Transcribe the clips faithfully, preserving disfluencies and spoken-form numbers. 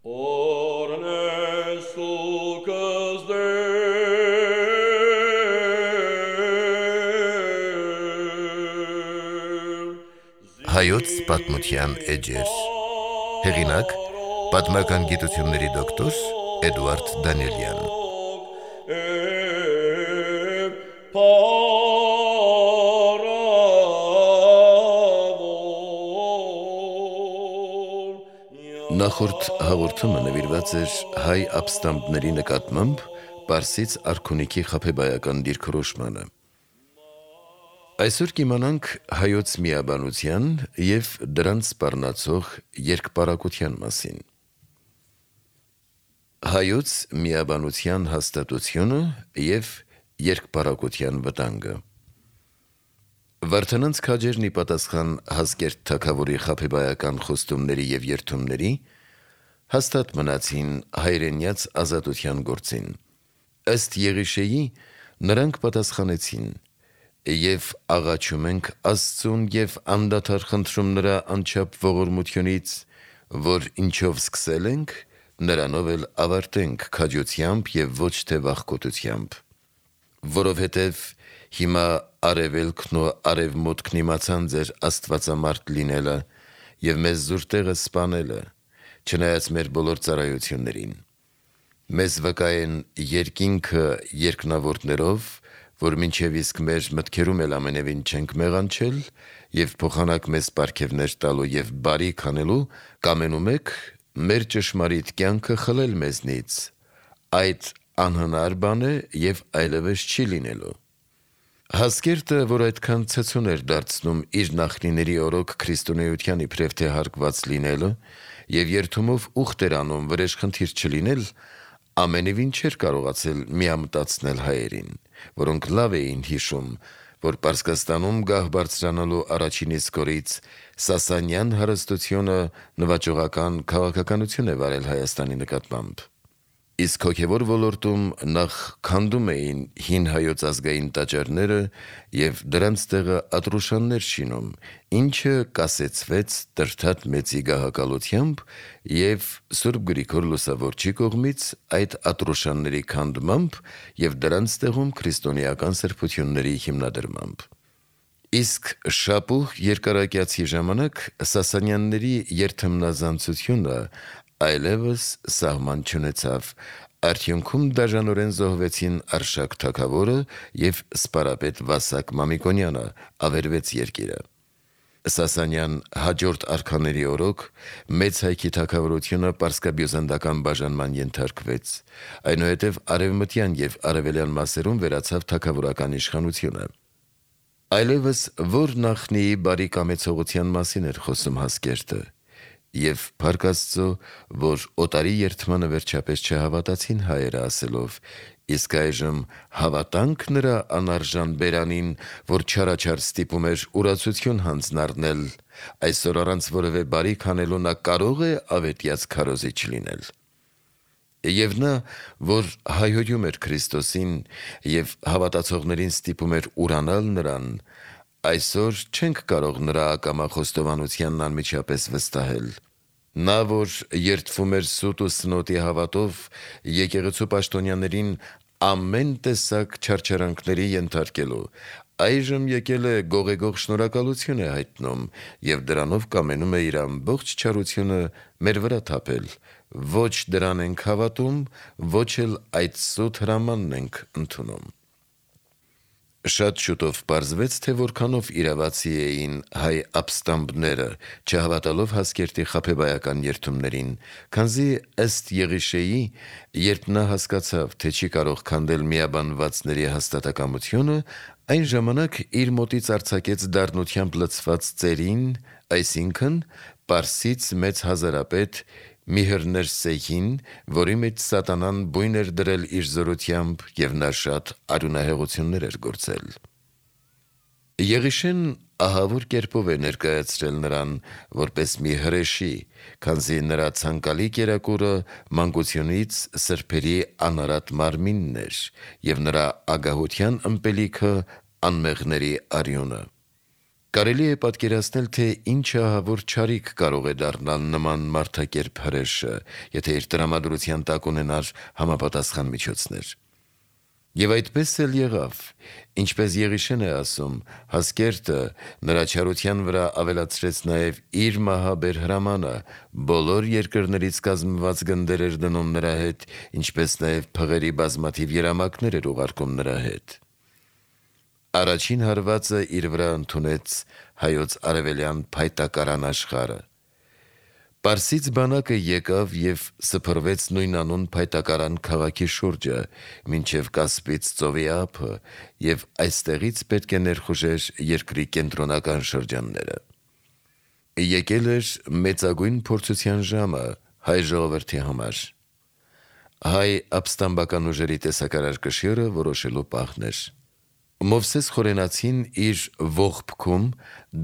Հայոց պատմության էջեր։ Հեղինակ՝ պատմական գիտությունների դոկտոր Էդուարդ Դանիելյան։ Նախորդ հաղորդումը նվիրված էր հայ ապստամբների նկատմամբ Պարսից արքունիքի խաբեբայական դիրքորոշմանը։ Այսօր կիմանանք հայոց միաբանության և դրանց սպառնացող երկպարակության մասին։ Հայոց միաբանության հաստատությունը և երկպարակության վտանգը։ Վարդանանց քաջերն ի պատասխան Հասկերտ թագավորի խաբեբայական խոստումների և երդումների հաստատ մնացին հայրենյաց ազատության գործին։ Ըստ Եղիշեի, նրանք պատասխանեցին. «Եվ աղաչում ենք Աստծուն և անդադար խնդրում նրա անչափ ողորմությունից, որ ինչով սկսել ենք, նրանով էլ ավարտենք քաջությամբ և ոչ թե վախկոտությամբ։ Որովհետև հիմա արևելքն ու արևմուտքն իմացան ձեր աստվածամարդ լինելը և մեզ զուր տեղը սպանելը, չնայած մեր բոլոր ծառայություններին։ Մեզ վկա են երկինքը երկնավորներով, որ մինչև իսկ մեր մտքերում էլ ամենևին չենք մեղանչել, և փոխանակ մեզ պարգևներ տալու և բարիք անելու, կամենում եք մեր ճշմարիտ կյանքը խլել մեզնից։ Այդ անհնար բան է և այլևս չի լինելու»։ Հասկերտը, որ այդքան ցցուն էր դարձնում իր նախնիների օրոք քրիստոնեության իբրև թե հարկված լինելը և երդումով ուխտ էր անում վրեժխնդիր չլինել, ամենևին չէր կարողացել միամտացնել հայերին, որոնք լավ էին հիշում, որ Պարսկաստանում գահ բարձրանալու առաջին իսկ օրից Սասանյան հարստությունը նվաճողական քաղաքականություն է վարել Հայաստանի նկատմամբ։ Իսկ հոգևոր ոլորտում նախ քանդում էին հին հայոց ազգային տաճարները և դրանց տեղը Ատրուշաններ շինում, ինչը կասեցվեց Տրդատ Մեծի գահակալությամբ և Սուրբ Գրիգոր Լուսավորչի կողմից այդ Ատրուշանների քանդմամբ և դրանց տեղում քրիստոնեական սրբությունների հիմնադրմամբ։ Իսկ շապուղ երկարակյացի ժամանակ Սասանյանների երդմնազանցությունը այլևս սահման չունեցավ, արդյունքում դաժանորեն զոհվեցին Արշակ թագավորը և սպարապետ Վասակ Մամիկոնյանը, ավերվեց երկիրը։ Սասանյան հաջորդ արքաների օրոք Մեծ Հայքի թագավորությունը պարսկաբյուզանդական բաժանման ենթարկվեց, այնուհետև արևմտյան և արևելյան մասերում վերացավ թագավորական իշխանությունը։ Այլևս որ նախնիի բարի կամեցողության մասին էր խոսում Հասկերտը, և փառք Աստծո, որ օտարի երդմանը վերջապես չհավատացին հայերը, ասելով. «Իսկ այժմ հավատա՞նք նրա անարժան բերանին, որ չարաչար ստիպում էր ուրացություն հանձնառնել, այսօր առանց որևէ բարիք անելու նա կարո՞ղ է ավետյաց քարոզիչ լինել»։ Եվ նա, որ հայհոյում էր Քրիստոսին և հավատացողներին ստիպում էր ուրանալ նրան, այսօր չենք կարող նրա ակամա խոստովանությանն անմիջապես վստահել։ Նա, որ երդվում էր սուտ ու սնոտի հավատով, եկեղեցու պաշտոնյաներին ամեն տեսակ չարչարանքների ենթարկելու, այժմ եկել է գողեգող շնորհակալություն է հայտնում և դրանով կամենում է իր ամբողջ չարությունը մեր վրա թափել։ Ոչ դրան ենք հավատում, ոչ էլ այդ սուտ հրամանն ենք ընդունում։ Շատ շուտով պարզվեց, թե որքանով իրավացի էին հայ ապստամբները, չհավատալով Հասկերտի խաբեբայական երդումներին, քանզի ըստ Եղիշեի, երբ նա հասկացավ, թե չի կարող քանդել միաբանվածների հաստատակամությունը, այն ժամանակ իր մոտից արձակեց դառնությամբ լցված ծերին, այսինքն Պարսից մեծ հազարապետ Միհռնէսեհին, որի մեջ սատանան բույն էր դրել իր զորությամբ և նա շատ արյունահեղություններ էր գործել։ Եղիշեն ահավոր կերպով է ներկայացրել նրան որպես մի հրեշի, քանզի նրա ցանկալի կերակուրը մանկությունից սրբերի անարատ մարմինն էր և նրա ագահության ըմպելիքը անմեղների արյունը։ Կարելի է պատկերացնել, թե ինչ ահավոր չարիք կարող է դառնալ նման մարդակերպ հրեշը, եթե իր տրամադրության տակ ունենար համապատասխան միջոցներ։ Եվ այդպես էլ եղավ, ինչպես Եղիշեն է ասում, Հասկերտը նրա չարության վրա ավելացրեց նաև իր մահաբեր հրամանը, բոլոր երկրներից կազմված գնդեր էր դնում նրա հետ, ինչպես նաև փղերի բազմաթիվ երամակներ էր ուղարկում նրա հետ։ Առաջին հարվածը իր վրա ընդունեց հայոց արևելյան փայտակարան աշխարհը։ Պարսից բանակը եկավ և սփռվեց նույնանուն փայտակարան քաղաքի շուրջը, մինչև Կասպից ծովի ափը, և այստեղից պետք է ներխուժեր երկրի կենտրոնական շրջանները։ Եկել էր մեծագույն փորձության ժամը հայ ժողովրդի համար։ Հայ ապստամբական ուժերի տեսակարար կշիռը որոշելու պահն էր։ Մովսես Խորենացին իր ողբքում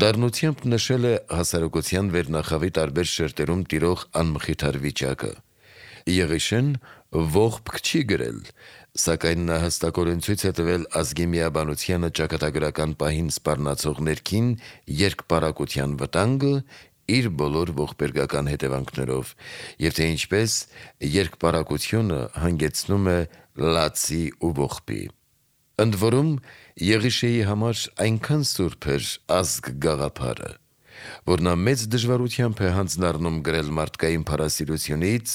դառնությամբ նշել է հասարակության վերնախավի տարբեր շերտերում տիրող անմխիթար վիճակը։ Եղիշեն ողբք չի գրել, սակայն նա հստակորեն ցույց է տվել ազգի միաբանությանը ճակատագրական պահին սպառնացող ներքին երկպառակտության վտանգը իր բոլոր ողբերգական հետևանքներով, և թե ինչպես երկպառակտությունը հանգեցնում է լացի ու ողբի։ Ընդ որում, Եղիշեի համար այնքան սուրբ էր ազգ գաղափարը, որ նա մեծ դժվարությամբ է հանձնառնում գրել մարդկային փառասիրությունից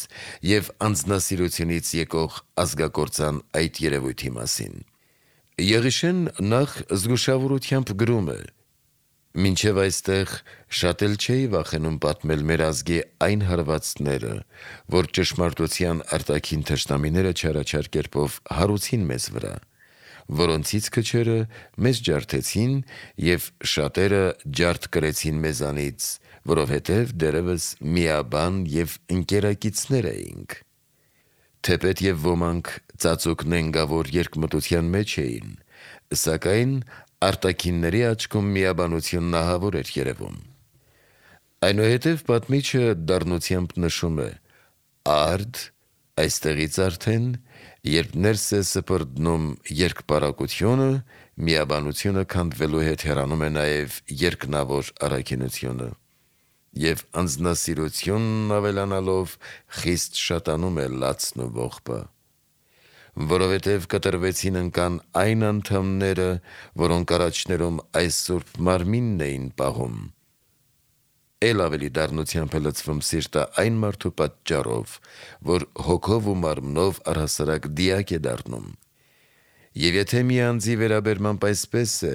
և անձնասիրությունից եկող ազգակործան այդ երևույթի մասին։ Եղիշեն նախ զգուշավորությամբ գրում է. «Մինչև այստեղ շատ էլ չէի վախենում պատմել մեր ազգի այն հարվածները, որ ճշմարտության արտաքին թշնամիները չարաչար կերպով հարուցին մեզ վրա, որոնցից քչերը մեզ ջարդեցին և շատերը ջարդ կրեցին մեզանից, որովհետև դեռևս միաբան և ընկերակիցներ էինք։ Թեպետ և ոմանք ծածուկ նենգավոր երկմտության մեջ էին, սակայն արտաքինների աչքում միաբանությունն ահավոր էր երևում»։ Այնուհետև պատմիչը դառնությամբ նշում է. «Արդ, այստեղից արդեն, երբ ներս է սփռդնում երկպառակտությունը, միաբանությունը քանդվելու հետ հեռանում է նաև երկնավոր առաքինությունը, և անձնասիրությունն ավելանալով խիստ շատանում է լացն ու ողբը, որովհետև կտրվեցին ընկան այն անդամները, որոնք առաջներում այս սուրբ մարմինն էին պահում։ Էլ ավելի դառնությամբ է լցվում սիրտը այն մարդու պատճառով, որ հոգով ու մարմնով առհասարակ դիակ է դառնում։ Եվ եթե մի անձի վերաբերմամբ այսպես է,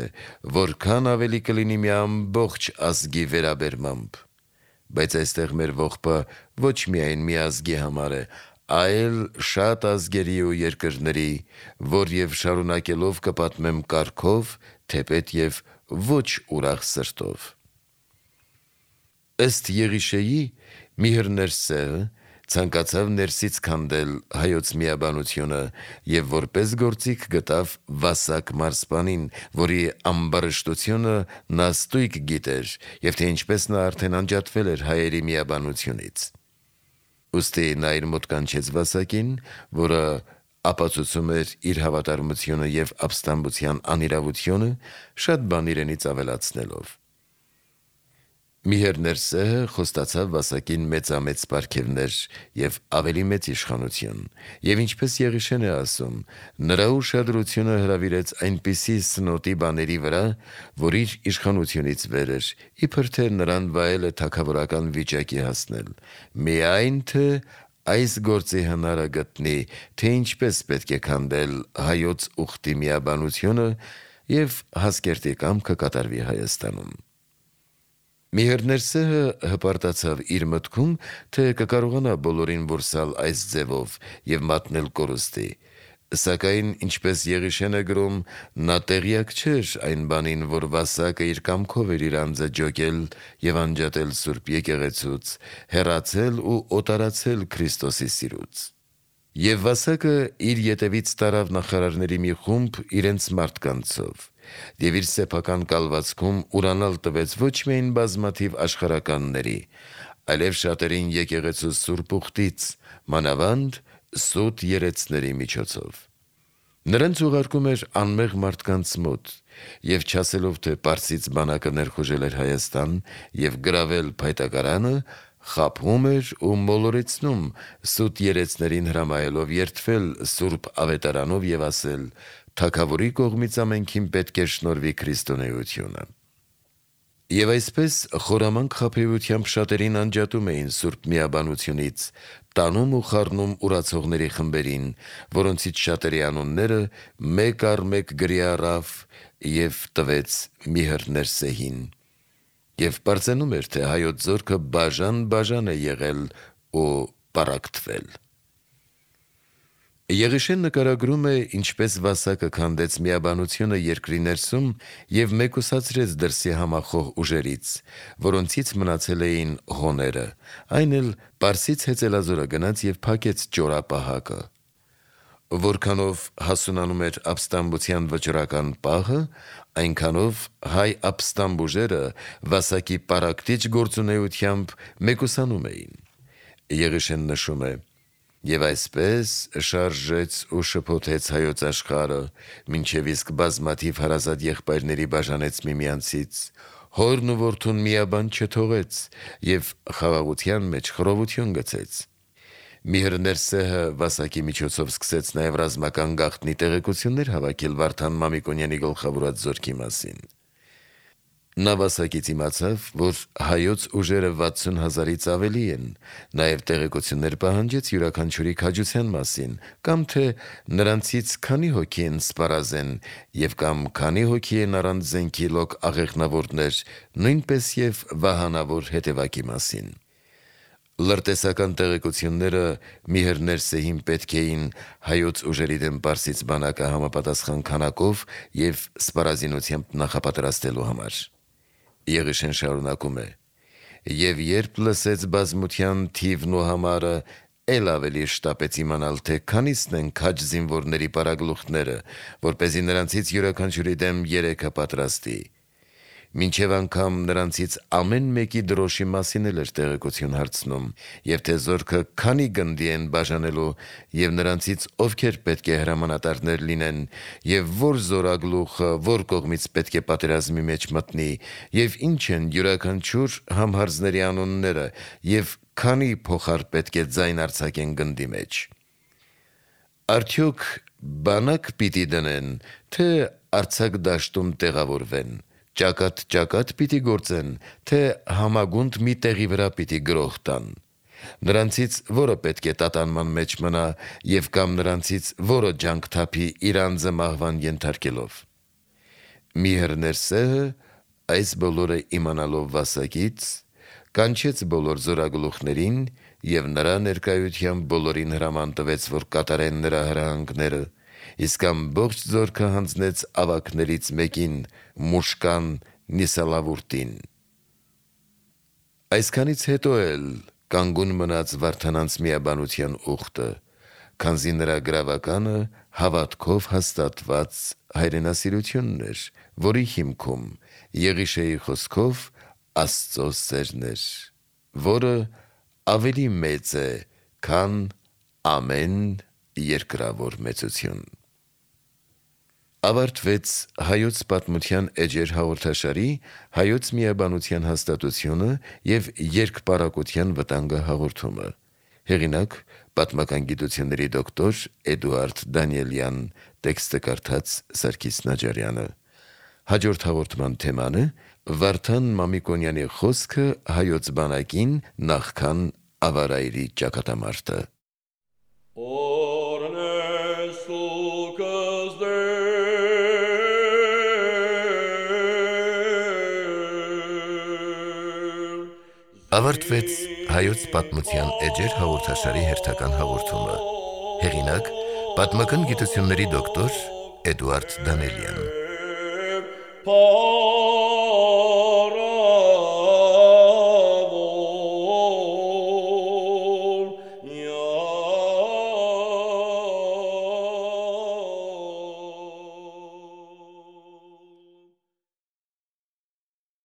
որքան ավելի կլինի մի ամբողջ ազգի վերաբերմամբ։ Բայց այստեղ մեր ողբը ոչ միայն մի ազգի համար է, այլ շատ ազգերի ու երկրների, որ և շարունակելով կպատմեմ կարգով, թեպետ և ոչ ուրախ սրտով»։ Ըստ Եղիշեի, Միհր Ներսեը ցանկացավ ներսից քանդել հայոց միաբանությունը և որպես գործիք գտավ Վասակ մարզպանին, որի ամբարշտությունը նա ստույգ գիտեր, և թե ինչպես նա արդեն անջատվել էր հայերի միաբանությունից։ Ուստի նա իր մոտ կանչեց Վասակին, որը ապացուցում էր իր հավատարմությունը և ապստամբության անիրավությունը, շատ բան իրենից ավելացնելով։ Միհր Ներսեը խոստացավ Վասակին մեծամեծ պարգևներ և ավելի մեծ իշխանություն, և ինչպես Եղիշեն է ասում, նրա ուշադրությունը հրավիրեց այնպիսի սնոտի բաների վրա, որ իր իշխանությունից վեր էր, իբր թե նրան վայել է թագավորական վիճակի հասնել, միայն թե այս գործի հնարը գտնի, թե ինչպես պետք է քանդել հայոց ուխտի միաբանությունը և Հասկերտի կամքը կատարվի Հայաստանում։ Միհր Ներսեը հպարտացավ իր մտքում, թե կկարողանա բոլորին որսալ այս ձևով և մատնել կորուստի, սակայն ինչպես Եղիշեն է գրում, նա տեղյակ չէր այն բանին, որ Վասակը իր կամքով էր իր անձը ջոկել և անջատել Սուրբ եկեղեցուց, հեռացել ու օտարացել Քրիստոսի սիրուց։ Եվ Վասակը իր ետևից տարավ նախարարների մի խումբ իրենց մարդկանցով, և իր սեփական կալվածքում ուրանալ տվեց ոչ միայն բազմաթիվ աշխարհականների, այլև շատերին եկեղեցու սուրբ ուխտից, մանավանդ սուտ երեցների միջոցով։ Նրանց ուղարկում էր անմեղ մարդկանց մոտ, եւ չասելով, թե Պարսից բանակը ներխուժել էր Հայաստան եւ գրավել Փայտակարանը, խաբում էր ու մոլորեցնում սուտ երեցներին հրամայելով երդվել Սուրբ Ավետարանով եւ ասել. «Թագավորի կողմից ամենքին պետք է շնորհվի քրիստոնեությունը»։ Եվ այսպես խորամանկ խաբեությամբ շատերին անջատում էին Սուրբ Միաբանությունից, տանում ու խառնում ուրացողների խմբերին, որոնցից շատերի անունները մեկ առ մեկ գրի առավ եւ տվեց Միհր Ներսեհին։ Եվ պարծենում էր, թե հայոց զորքը բաժան-բաժան է եղել ու պառակտվել։ Եղիշեն նկարագրում է, ինչպես Վասակը քանդեց միաբանությունը երկրի ներսում եւ մեկուսացրեց դրսի համախոհ ուժերից, որոնցից մնացել էին հոները, այն էլ Պարսից հեծելազորը գնաց եւ փակեց ճորապահակը։ Որքանով հասունանում էր ապստամբության վճռական պահը, այնքանով հայ ապստամբ ուժերը Վասակի պառակտիչ գործունեությամբ մեկուսանում էին։ Եղիշեն նշում է. «Եվ այսպես շարժեց ու շփոթեց հայոց աշխարհը, մինչև իսկ բազմաթիվ հարազատ եղբայրների բաժանեց միմյանցից, հորն ու որդուն միաբան չթողեց եւ խաղաղության մեջ խռովություն գցեց»։ Միհր Ներսեհը Վասակի միջոցով սկսեց նաեւ ռազմական գաղտնի տեղեկություններ հավաքել Վարդան Մամիկոնյանի գլխավորած զորքի մասին։ Նա Վասակից իմացավ, որ հայոց ուժերը վաթսուն հազարից ավելի են, նաև տեղեկություններ պահանջեց յուրաքանչյուրի քաջության մասին, կամ թե նրանցից քանի հոգի են սպառազեն եւ կամ քանի հոգի են առանց զենքի լոկ աղեղնավորներ, նույնպես եւ վահանավոր հետևակի մասին։ Լրտեսական տեղեկությունները Միհր Ներսեհին պետք էին հայոց ուժերի դեմ Պարսից բանակը համապատասխան քանակով եւ սպառազինությամբ նախապատրաստելու համար։ Եղիշեն շարունակում է. «Եվ երբ լսեց բազմության թիվն ու համարը, էլ ավելի շտապեց իմանալ, թե քանիսն են քաջ զինվորների պարագլուխները, որպեսզի նրանցից յուրաքանչյուրի դեմ երեքը պատրաստի։ Մինչև անգամ նրանցից ամեն մեկի դրոշի մասին էլ էր տեղեկություն հարցնում, եւ թե զորքը քանի գնդի են բաժանելու, եւ նրանցից ովքեր պետք է հրամանատարներ լինեն, եւ որ զորագլուխը որ կողմից պետք է պատերազմի մեջ մտնի, եւ ինչ են յուրաքանչյուր համհարձների անունները, եւ քանի փոխար պետք է ձայն արձակեն գնդի մեջ։ Արդյոք բանակ պիտի դնեն, թե արձակ դաշտում տեղավորվեն, ճակատ-ճակատ պիտի գործեն, թե համագունդ մի տեղի վրա պիտի գրոհ տան։ Նրանցից որը պետք է տատանման մեջ մնա եւ կամ նրանցից որը ջանք թափի իր անձը մահվան ենթարկելով։ Միհր Ներսեհը այս բոլորը իմանալով Վասակից, կանչեց բոլոր զորագլուխներին եւ նրա ներկայությամբ բոլորին հրաման տվեց, որ կատարեն նրա հրահանգները, իսկ ամբողջ զորքը հանձնեց ավագներից մեկին, Մուշկան Նիսալավուրտին։ Այսքանից հետո էլ կանգուն մնաց Վարդանանց միաբանության ուխտը, քանզի նրա գրավականը հավատքով հաստատված հայրենասիրությունն էր, որի հիմքում Եղիշեի խոսքով Աստծո սերն էր, որը ավելի մեծ է, քան ամեն երկրավոր մեծություն։ Ավարտվեց Հայոց պատմության էջեր հաղորդաշարի հայոց միաբանության հաստատությունը եւ երկպառակտության վտանգը հաղորդումը։ Հեղինակ պատմական գիտությունների դոկտոր Էդուարդ Դանիելյան, տեքստը կարդաց Սարգիս Նաջարյանը։ Հաջորդ հաղորդման թեման է Վարդան Մամիկոնյանի խոսքը հայոց բանակին նախքան Ավարայրի ճակատամարտը։ Ավարտվեց Հայոց պատմության էջեր հաղորդաշարի հերթական հաղորդումը։ Հեղինակ պատմական գիտությունների դոկտոր Էդուարդ Դանիելյան։